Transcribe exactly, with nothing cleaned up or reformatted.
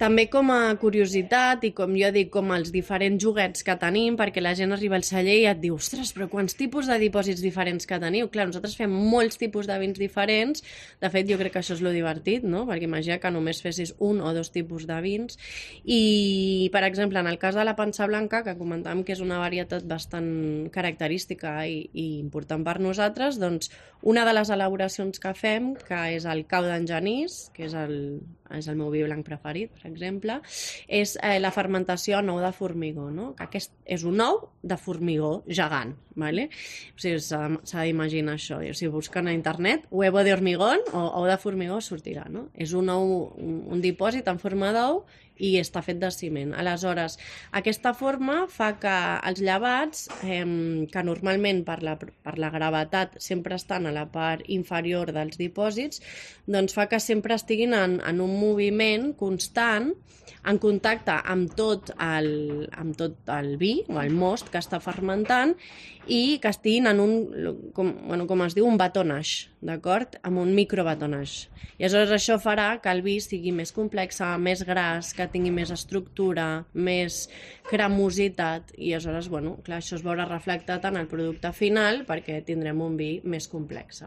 també com a curiositat i com jo dic, com els diferents joguets que tenim, perquè la gent arriba al celler i et diu, ostres, però quants tipus de dipòsits diferents que teniu? Clar, nosaltres fem molts tipus de vins diferents, de fet jo crec que això és lo divertit, no? Perquè imagina que només fessis un o dos tipus de vins i, per exemple, en el cas de la pansa blanca, que comentàvem que és una varietat bastant característica i, i important per nosaltres, doncs una de les elaboracions que fem, que és el cau d'en Genís, que és el, és el meu vi blanc preferit, per exemple, és eh, la fermentació a nou de formigó, no? Que aquest és un ou de formigó gegant, ¿vale? O sigui, s'ha d'imaginar això. O sigui, busquen a internet huevo de hormigón o ou de formigó sortirà, no? És un ou, un, un dipòsit en forma d'ou i està fet de ciment. Aleshores, aquesta forma fa que els llevats, eh, que normalment per la, per la gravetat sempre estan a la part inferior dels dipòsits, doncs fa que sempre estiguin en, en un moviment constant, en contacte amb tot el, amb tot el vi o el most que està fermentant i que estiguin en un, com, bueno, com es diu, un batonage, d'acord? Amb un microbatonage. I aleshores això farà que el vi sigui més complex, més gras, que tingui més estructura, més cremositat i aleshores, bueno, clar, això es veurà reflectat en el producte final perquè tindrem un vi més complex.